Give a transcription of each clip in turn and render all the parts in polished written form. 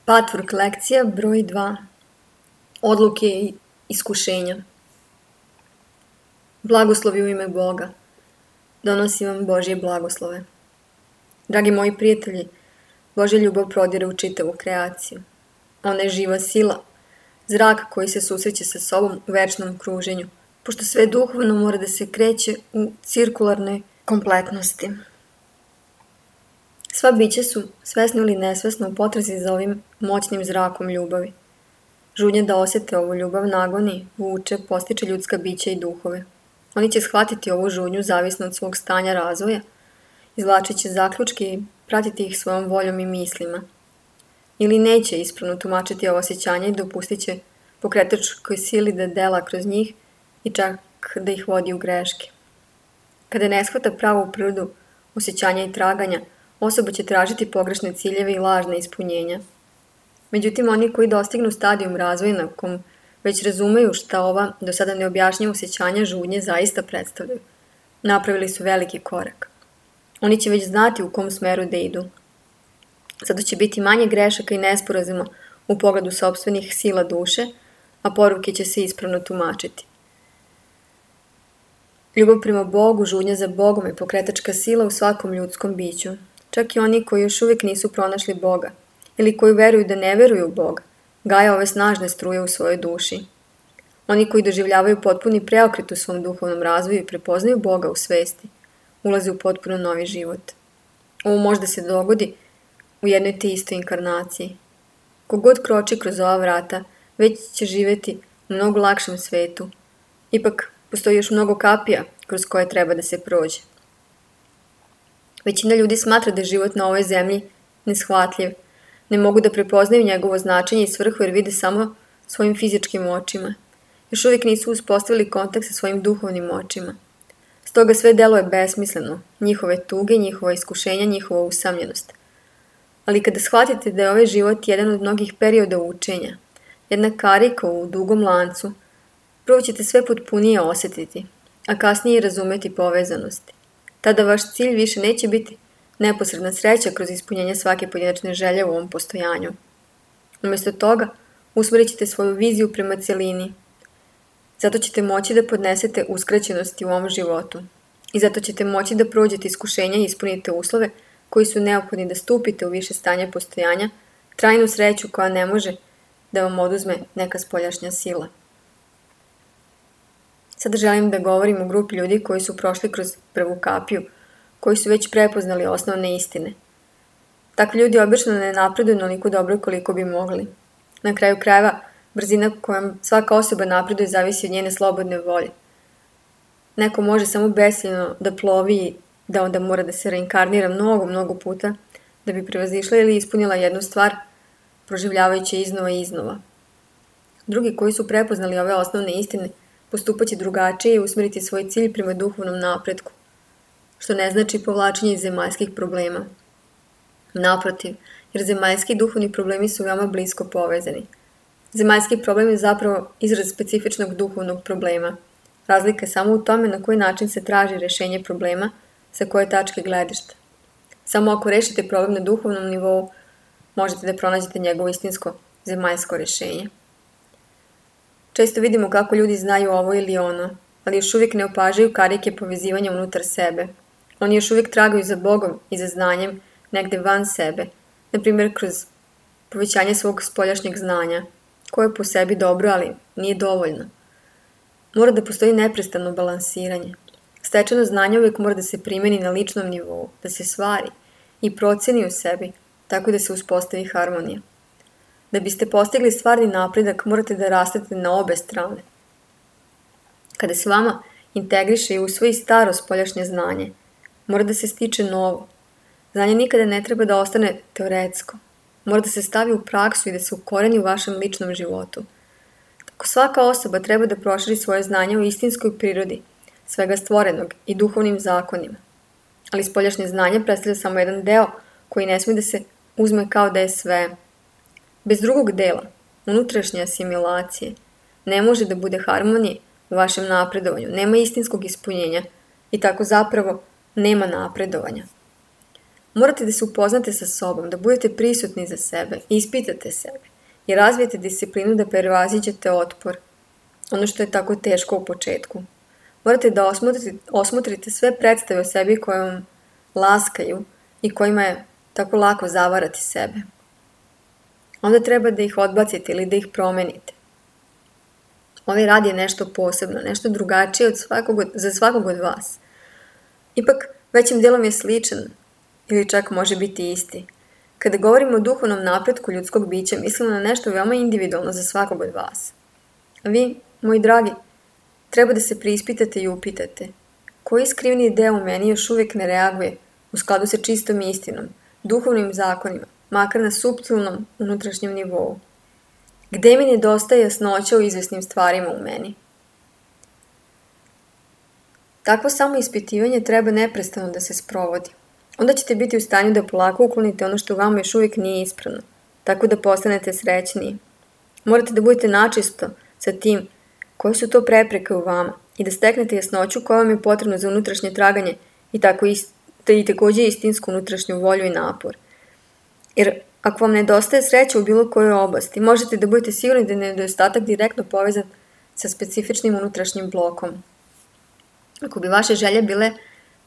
Patvork lekcija broj 2. Odluke i iskušenja. Blagoslovi u ime Boga. Donosim vam Božje blagoslove. Dragi moji prijatelji, Božja ljubav prodire u čitavu kreaciju. Ona je živa sila, zrak koji se susreće sa sobom u večnom kruženju, pošto sve duhovno mora da se kreće u cirkularnoj kompletnosti. Sva bića su, svesno ili nesvesno, u potrazi za ovim moćnim zrakom ljubavi. Žudnja da osete ovu ljubav nagoni, vuče, postiče ljudska bića i duhove. Oni će shvatiti ovu žudnju zavisno od svog stanja razvoja, izvlačit će zaključke i pratiti ih svojom voljom i mislima. Ili neće ispravno tumačiti ovo osjećanje i dopustit će pokretačkoj sili da dela kroz njih i čak da ih vodi u greške. Kada ne shvata pravu prirodu osjećanja i traganja, osoba će tražiti pogrešne ciljeve i lažne ispunjenja. Međutim, oni koji dostignu stadijum razvoja na kom već razumeju šta ova do sada neobjašnjiva osjećanja žudnje zaista predstavljaju, napravili su veliki korak. Oni će već znati u kom smeru da idu. Zato će biti manje grešaka i nesporazuma u pogledu sopstvenih sila duše, a poruke će se ispravno tumačiti. Ljubav prema Bogu, žudnja za Bogom je pokretačka sila u svakom ljudskom biću. Čak i oni koji još uvijek nisu pronašli Boga ili koji veruju da ne veruju u Boga, gaje ove snažne struje u svojoj duši. Oni koji doživljavaju potpuni preokret u svom duhovnom razvoju i prepoznaju Boga u svesti, ulaze u potpuno novi život. Ovo može da se dogodi u jednoj te istoj inkarnaciji. Kogod kroči kroz ova vrata, već će živjeti u mnogo lakšem svetu. Ipak, postoji još mnogo kapija kroz koje treba da se prođe. Većina ljudi smatra da je život na ovoj zemlji neshvatljiv. Ne mogu da prepoznaju njegovo značenje i svrhu jer vide samo svojim fizičkim očima. Još uvijek nisu uspostavili kontakt sa svojim duhovnim očima. Stoga sve deluje besmisleno, njihove tuge, njihova iskušenja, njihova usamljenost. Ali kada shvatite da je ovaj život jedan od mnogih perioda učenja, jedna karika u dugom lancu, prvo ćete sve potpunije osjetiti, a kasnije razumeti povezanosti. Tada vaš cilj više neće biti neposredna sreća kroz ispunjenje svake pojedinačne želje u ovom postojanju. Umjesto toga, usmerit ćete svoju viziju prema celini. Zato ćete moći da podnesete uskraćenosti u ovom životu. I zato ćete moći da prođete iskušenja i ispunite uslove koji su neophodni da stupite u više stanje postojanja, trajnu sreću koja ne može da vam oduzme neka spoljašnja sila. Sada želim da govorim o grupi ljudi koji su prošli kroz prvu kapiju, koji su već prepoznali osnovne istine. Takvi ljudi obično ne napreduju onoliko dobro koliko bi mogli. Na kraju krajeva, brzina kojom svaka osoba napreduje zavisi od njene slobodne volje. Neko može samo besciljno da plovi i da onda mora da se reinkarnira mnogo puta da bi prevazišla ili ispunila jednu stvar, proživljavajući iznova i iznova. Drugi koji su prepoznali ove osnovne istine postupat će drugačije i usmeriti svoj cilj prema duhovnom napretku, što ne znači povlačenje iz zemaljskih problema. Naprotiv, jer zemaljski i duhovni problemi su veoma blisko povezani. Zemaljski problem je zapravo izraz specifičnog duhovnog problema. Razlika je samo u tome na koji način se traži rešenje problema, sa koje tačke gledišta. Samo ako rešite problem na duhovnom nivou, možete da pronađete njegovo istinsko zemaljsko rešenje. Često vidimo kako ljudi znaju ovo ili ono, ali još uvijek ne opažaju karike povezivanja unutar sebe. Oni još uvijek tragaju za Bogom i za znanjem negde van sebe, na primjer kroz povećanje svog spoljašnjeg znanja, koje je po sebi dobro, ali nije dovoljno. Mora da postoji neprestano balansiranje. Stečeno znanje uvijek mora da se primeni na ličnom nivou, da se stvari i proceni u sebi, tako da se uspostavi harmonija. Da biste postigli stvarni napredak, morate da rastete na obe strane. Kada se vama integriše i usvoji staro spoljašnje znanje, mora da se stiče novo. Znanje nikada ne treba da ostane teoretsko. Mora da se stavi u praksu i da se ukoreni u vašem ličnom životu. Tako svaka osoba treba da proširi svoje znanje u istinskoj prirodi, svega stvorenog i duhovnim zakonima. Ali spoljašnje znanje predstavlja samo jedan deo koji ne smije da se uzme kao da je sve. Bez drugog dela, unutrašnje asimilacije, ne može da bude harmonije u vašem napredovanju, nema istinskog ispunjenja i tako zapravo nema napredovanja. Morate da se upoznate sa sobom, da budete prisutni za sebe, ispitate sebe i razvijete disciplinu da prevaziđete otpor, ono što je tako teško u početku. Morate da osmotrite sve predstave o sebi koje vam laskaju i kojima je tako lako zavarati sebe. Onda treba da ih odbacite ili da ih promenite. Ovaj rad je nešto posebno, nešto drugačije za svakog od vas. Ipak, većim delom je sličan ili čak može biti isti. Kada govorimo o duhovnom napretku ljudskog bića, mislimo na nešto veoma individualno za svakog od vas. A vi, moji dragi, treba da se preispitate i upitate koji skrivni deo u meni još uvijek ne reaguje u skladu sa čistom istinom, duhovnim zakonima, makar na suptilnom unutrašnjem nivou. Gde mi nedostaje jasnoća u izvesnim stvarima u meni? Takvo samoispitivanje treba neprestano da se sprovodi. Onda ćete biti u stanju da polako uklonite ono što vama još uvijek nije ispravno, tako da postanete srećniji. Morate da budete načisto sa tim koje su to prepreke u vama i da steknete jasnoću koja vam je potrebna za unutrašnje traganje i takođe istinsku unutrašnju volju i napor. Jer ako vam nedostaje sreća u bilo kojoj oblasti, možete da budete sigurni da je nedostatak direktno povezan sa specifičnim unutrašnjim blokom. Ako bi vaše želje bile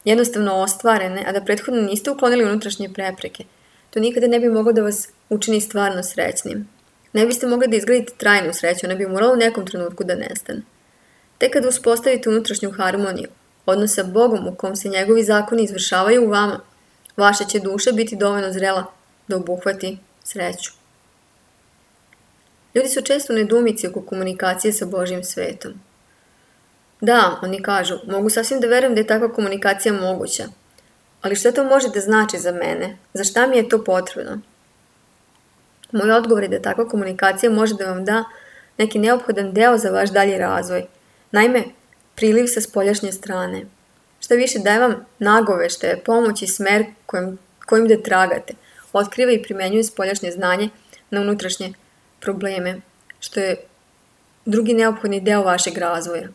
jednostavno ostvarene, a da prethodno niste uklonili unutrašnje prepreke, to nikada ne bi moglo da vas učini stvarno srećnim. Ne biste mogli da izgradite trajnu sreću, ona bi morala u nekom trenutku da nestane. Tek kada uspostavite unutrašnju harmoniju, odnos sa Bogom u kom se njegovi zakoni izvršavaju u vama, vaša će duša biti dovoljno zrela da obuhvati sreću. Ljudi su često u nedoumici oko komunikacije sa Božjim svetom. Da, oni kažu, mogu sasvim da verujem da je takva komunikacija moguća, ali šta to može da znači za mene? Za šta mi je to potrebno? Moj odgovor je da takva komunikacija može da vam da neki neophodan deo za vaš dalji razvoj. Naime, priliv sa spoljašnje strane. Šta više daje vam nagoveštaje, pomoć i smer kojim da tragate. Otkriva i primenjuje spoljašnje znanje na unutrašnje probleme, što je drugi neophodni deo vašeg razvoja.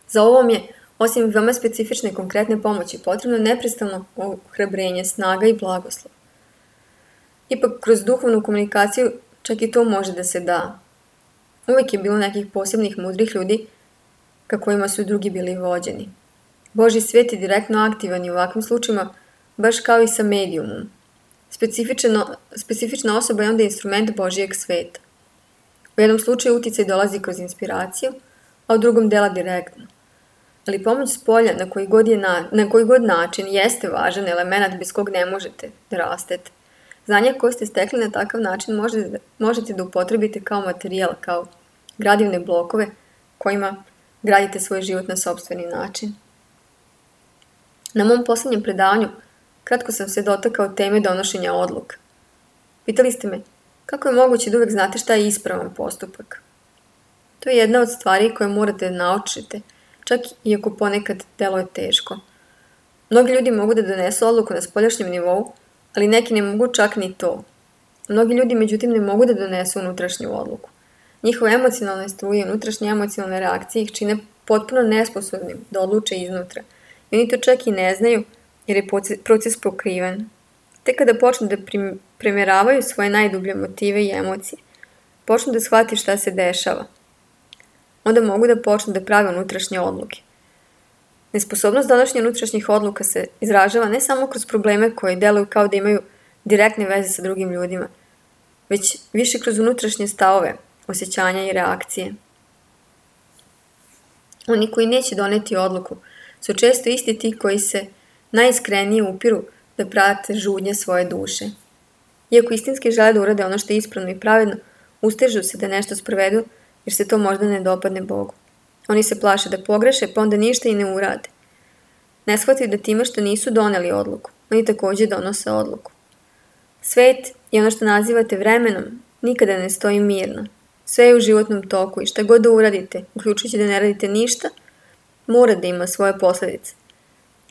Za ovom je, osim veoma specifične konkretne pomoći, potrebno neprestano ohrabrenje, snaga i blagoslov. Ipak, kroz duhovnu komunikaciju čak i to može da se da. Uvijek je bilo nekih posebnih mudrih ljudi ka kojima su drugi bili vođeni. Božji svet je direktno aktivan i u ovakvim slučajima, baš kao i sa medijumom. Specifična osoba je onda instrument Božijeg sveta. U jednom slučaju uticaj dolazi kroz inspiraciju, a u drugom dela direktno. Ali pomoć s polja na koji god način jeste važan element bez kog ne možete da rastete. Znanje koje ste stekli na takav način možete da upotrebite kao materijal, kao gradivne blokove kojima gradite svoj život na sopstveni način. Na mom poslednjem predavanju kratko sam se dotakao teme donošenja odluka. Pitali ste me, kako je moguće da uvek znate šta je ispravan postupak? To je jedna od stvari koje morate da naučite, čak i ako ponekad deluje teško. Mnogi ljudi mogu da donesu odluku na spoljašnjem nivou, ali neki ne mogu čak ni to. Mnogi ljudi, međutim, ne mogu da donesu unutrašnju odluku. Njihove emocionalne struje i unutrašnje emocionalne reakcije ih čine potpuno nesposobnim da odluče iznutra. I oni to čak i ne znaju, jer je proces pokriven. Tek kada počnu da premeravaju svoje najdublje motive i emocije, počnu da shvati šta se dešava, onda mogu da počnu da prave unutrašnje odluke. Nesposobnost donošenja unutrašnjih odluka se izražava ne samo kroz probleme koji deluju kao da imaju direktne veze sa drugim ljudima, već više kroz unutrašnje stavove, osjećanja i reakcije. Oni koji neće doneti odluku su često isti ti koji se najiskrenije upiru da prate žudnje svoje duše. Iako istinski žele da urade ono što je ispravno i pravedno, ustežu se da nešto sprovedu jer se to možda ne dopadne Bogu. Oni se plaše da pogreše, pa onda ništa i ne urade. Ne shvataju da time što nisu doneli odluku, oni takođe donose odluku. Svet i ono što nazivate vremenom nikada ne stoji mirno. Sve je u životnom toku i šta god da uradite, uključujući da ne radite ništa, mora da ima svoje posledice.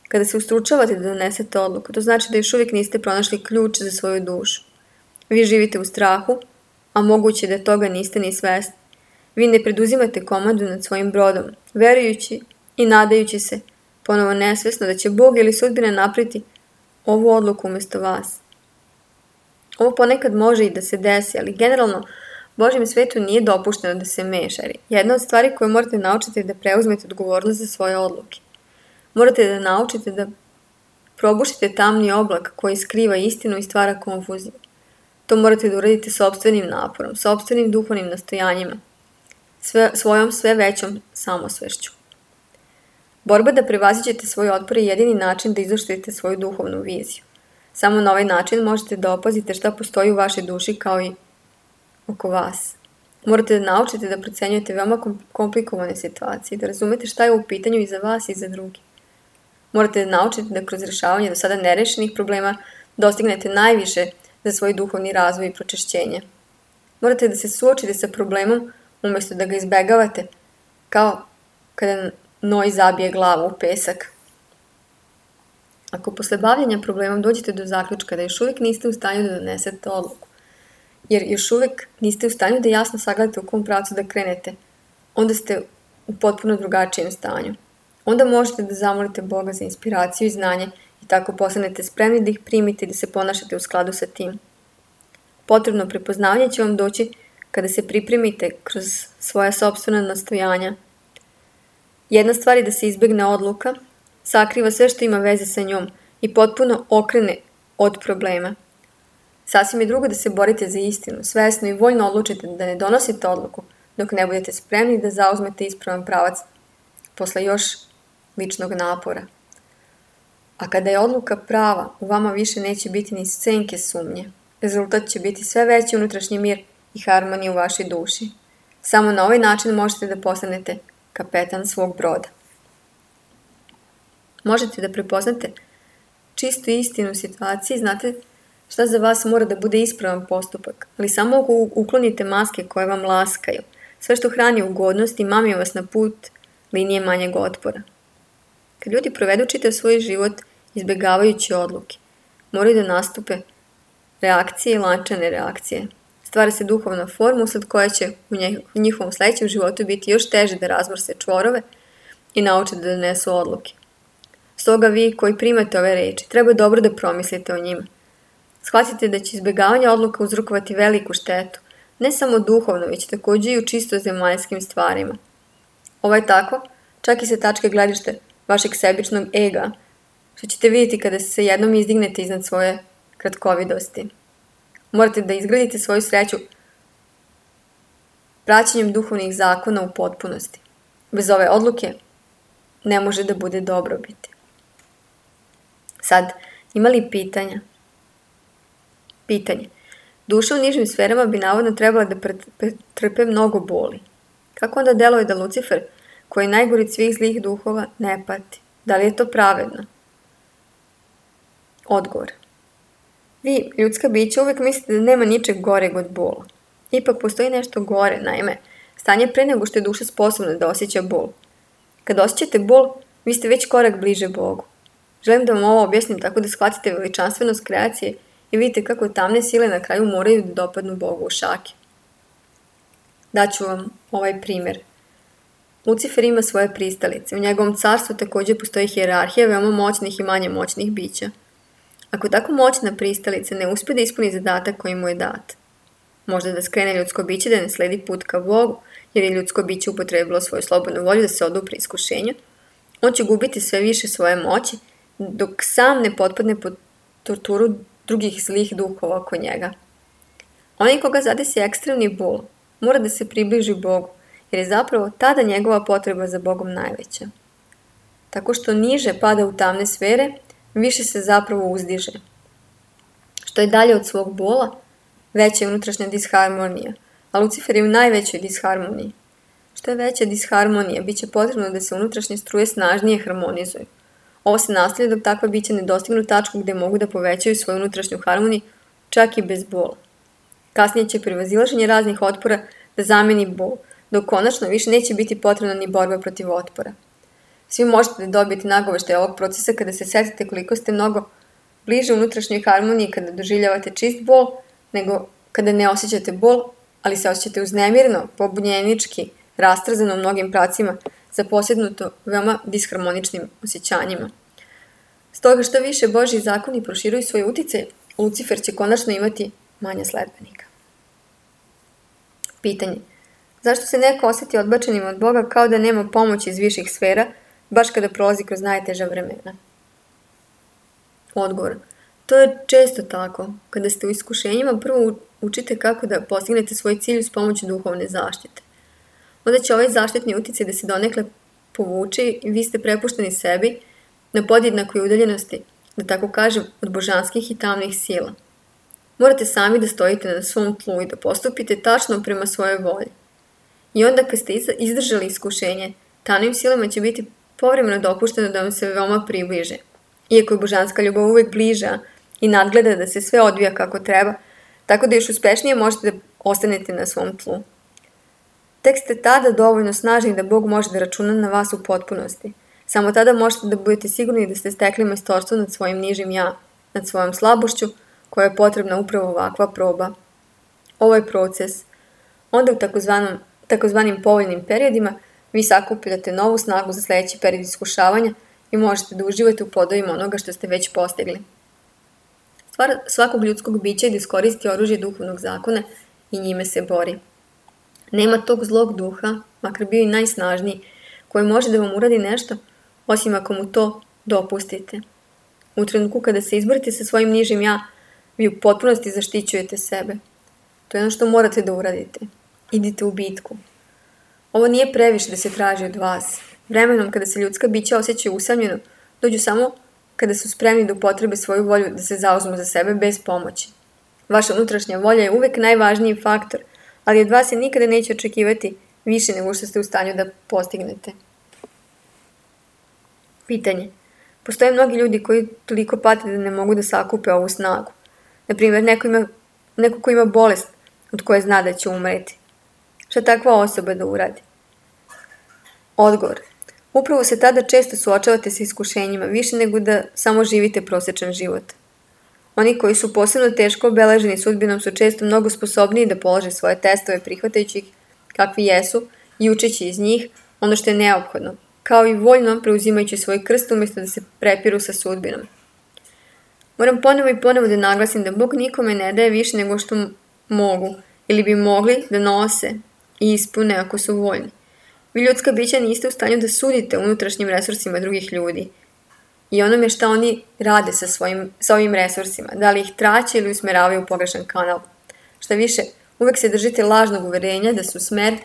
Kada se ustručavate da donesete odluku, to znači da još uvijek niste pronašli ključ za svoju dušu. Vi živite u strahu, a moguće da toga niste ni svesni. Vi ne preduzimate komandu nad svojim brodom, verujući i nadajući se, ponovo nesvesno da će Bog ili sudbina napriti ovu odluku umjesto vas. Ovo ponekad može i da se desi, ali generalno Božjem svetu nije dopušteno da se meša. Jedna od stvari koje morate naučiti je da preuzmete odgovornost za svoje odluke. Morate da naučite da probušite tamni oblak koji skriva istinu i stvara konfuziju. To morate da uradite sopstvenim naporom, sopstvenim duhovnim nastojanjima, svojom sve većom samosvešću. Borba da prevaziđete svoj otpor je jedini način da izoštrite svoju duhovnu viziju. Samo na ovaj način možete da opazite šta postoji u vašoj duši kao i oko vas. Morate da naučite da procenjujete veoma komplikovane situacije, da razumete šta je u pitanju i za vas i za drugi. Morate da naučite da kroz rešavanje do sada nerešenih problema dostignete najviše za svoj duhovni razvoj i pročišćenje. Morate da se suočite sa problemom umjesto da ga izbegavate, kao kada noj zabije glavu u pesak. Ako posle bavljenja problemom dođete do zaključka da još uvijek niste u stanju da donesete odluku, jer još uvijek niste u stanju da jasno sagledate u kom pravcu da krenete, onda ste u potpuno drugačijem stanju. Onda možete da zamolite Boga za inspiraciju i znanje i tako postanete spremni da ih primite i da se ponašate u skladu sa tim. Potrebno prepoznavanje će vam doći kada se pripremite kroz svoja sopstvena nastojanja. Jedna stvar je da se izbegne odluka, sakriva sve što ima veze sa njom i potpuno okrene od problema. Sasvim je drugo da se borite za istinu, svesno i voljno odlučite da ne donosite odluku dok ne budete spremni da zauzmete ispravan pravac posle još ličnog napora. A kada je odluka prava, u vama više neće biti ni senke sumnje. Rezultat će biti sve veći unutrašnji mir i harmonija u vašoj duši. Samo na ovaj način možete da postanete kapetan svog broda. Možete da prepoznate čistu istinu u situaciji, znate šta za vas mora da bude ispravan postupak, ali samo ako uklonite maske koje vam laskaju, sve što hrani ugodnost i mami vas na put linije manjeg otpora. Kad ljudi provedu čitav svoj život izbjegavajući odluke, moraju da nastupe reakcije i lančane reakcije. Stvara se duhovna forma usled koja će u njihovom sledećem životu biti još teže da razmrse čvorove i nauče da donesu odluke. Stoga vi koji primate ove reči, treba dobro da promislite o njima. Shvatite da će izbjegavanje odluka uzrokovati veliku štetu, ne samo duhovno, već takođe i u čisto zemaljskim stvarima. Ovo je tako, čak i sa tačke gledište vašeg sebičnog ega, što ćete vidjeti kada se jednom izdignete iznad svoje kratkovidosti. Morate da izgradite svoju sreću praćenjem duhovnih zakona u potpunosti. Bez ove odluke ne može da bude dobrobiti. Sad, ima li pitanja? Pitanje. Duša u nižim sferama bi navodno trebala da pretrpe mnogo boli. Kako onda deluje da Lucifer, koji je najgori od svih zlih duhova, ne pati? Da li je to pravedno? Odgovor. Vi, ljudska bića, uvijek mislite da nema ničeg goreg od bola. Ipak postoji nešto gore, naime, stanje pre nego što je duša sposobna da osjeća bol. Kad osjećate bol, vi ste već korak bliže Bogu. Želim da vam ovo objasnim tako da shvatite veličanstvenost kreacije i vidite kako tamne sile na kraju moraju da dopadnu Bogu u šake. Daću vam ovaj primjer. Lucifer ima svoje pristalice. U njegovom carstvu također postoji hijerarhija veoma moćnih i manje moćnih bića. Ako tako moćna pristalica ne uspije da ispuni zadatak koji mu je dat, možda da skrene ljudsko biće da ne sledi put ka Bogu, jer je ljudsko biće upotrebilo svoju slobodnu volju da se odupre iskušenju, on će gubiti sve više svoje moći, dok sam ne potpadne pod torturu drugih zlih duhova oko njega. Onaj koga zadesi ekstremni bol, mora da se približi Bogu, jer je zapravo tada njegova potreba za Bogom najveća. Tako što niže pada u tamne sfere, više se zapravo uzdiže. Što je dalje od svog bola, veća je unutrašnja disharmonija, a Lucifer je u najvećoj disharmoniji. Što je veća disharmonija, bit će potrebno da se unutrašnje struje snažnije harmonizuju. Ovo se nastavlja dok takva bića ne dostignu tačku gde mogu da povećaju svoju unutrašnju harmoniju, čak i bez bola. Kasnije će prevazilaženje raznih otpora da zameni bol, dok konačno više neće biti potrebna ni borba protiv otpora. Svi možete da dobijete nagoveštaj ovog procesa kada se setite koliko ste mnogo bliže unutrašnjoj harmoniji kada doživljavate čist bol, nego kada ne osjećate bol, ali se osjećate uznemirno, pobunjenički, rastrzano u mnogim pravcima, zaposjednuto veoma disharmoničnim osjećanjima. Stoga što više Božji zakoni proširuju svoj uticaj, Lucifer će konačno imati manje sledbenika. Pitanje. Zašto se neko osjeti odbačenim od Boga kao da nema pomoći iz viših sfera, baš kada prolazi kroz najteža vremena? Odgovor. To je često tako. Kada ste u iskušenjima, prvo učite kako da postignete svoj cilj uz pomoć duhovne zaštite. Onda će ovaj zaštitni uticaj da se donekle povuče i vi ste prepušteni sebi na podjednakoj udaljenosti, da tako kažem, od božanskih i tamnih sila. Morate sami da stojite na svom tlu i da postupite tačno prema svojoj volji. I onda kad ste izdržali iskušenje, tamnim silama će biti povremeno dopušteno da vam se veoma približe. Iako je božanska ljubav uvek bliža i nadgleda da se sve odvija kako treba, tako da još uspešnije možete da ostanete na svom tlu. Tek ste tada dovoljno snažni da Bog može da računa na vas u potpunosti. Samo tada možete da budete sigurni da ste stekli majstorstvo nad svojim nižim ja, nad svojom slabošću, koja je potrebna upravo ovakva proba. Ovo je proces. Onda u takozvanim povoljnim periodima vi sakupljate novu snagu za sledeći period iskušavanja i možete da uživate u plodovima onoga što ste već postigli. Stvar svakog ljudskog bića je da iskoristi oružje duhovnog zakona i njime se bori. Nema tog zlog duha, makar bio i najsnažniji, koji može da vam uradi nešto, osim ako mu to dopustite. U trenutku kada se izborite sa svojim nižim ja, vi u potpunosti zaštićujete sebe. To je ono što morate da uradite. Idite u bitku. Ovo nije previše da se traži od vas. Vremenom kada se ljudska bića osjećaju usamljeno, dođu samo kada su spremni da upotrebe svoju volju da se zauzmu za sebe bez pomoći. Vaša unutrašnja volja je uvek najvažniji faktor, ali od vas se nikada neće očekivati više nego što ste u stanju da postignete. Pitanje. Postoje mnogi ljudi koji toliko pate da ne mogu da sakupe ovu snagu. Naprimjer, neko ko ima bolest od koje zna da će umreti. Šta takva osoba da uradi? Odgovor. Upravo se tada često suočavate sa iskušenjima, više nego da samo živite prosečan život. Oni koji su posebno teško obeleženi sudbinom su često mnogo sposobniji da polože svoje testove prihvatajući ih kakvi jesu i učeći iz njih ono što je neophodno, kao i voljno preuzimajući svoj krst umjesto da se prepiru sa sudbinom. Moram ponovo i ponovo da naglasim da Bog nikome ne daje više nego što mogu ili bi mogli da nose i ispune ako su voljni. Vi ljudska bića niste u stanju da sudite unutrašnjim resursima drugih ljudi i onome šta oni rade sa ovim resursima, da li ih traće ili usmeravaju u pogrešan kanal. Šta više, uvek se držite lažnog uverenja da su smrt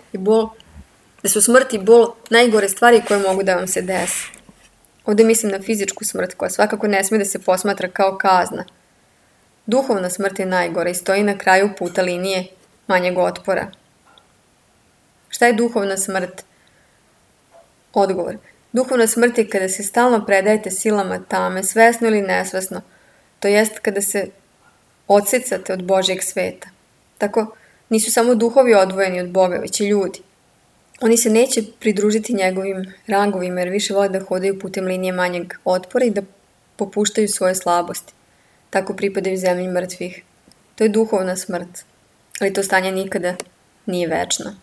i bol najgore stvari koje mogu da vam se desi. Ovde mislim na fizičku smrt koja svakako ne sme da se posmatra kao kazna. Duhovna smrt je najgora i stoji na kraju puta linije manjeg otpora. Šta je duhovna smrt? Odgovor. Duhovna smrt je kada se stalno predajete silama tame, svesno ili nesvesno, to jest kada se odsecate od Božjeg sveta. Tako, nisu samo duhovi odvojeni od Boga, već i ljudi. Oni se neće pridružiti njegovim rangovima jer više vole da hodaju putem linije manjeg otpora i da popuštaju svoje slabosti. Tako pripadaju zemlji mrtvih. To je duhovna smrt, ali to stanje nikada nije večno.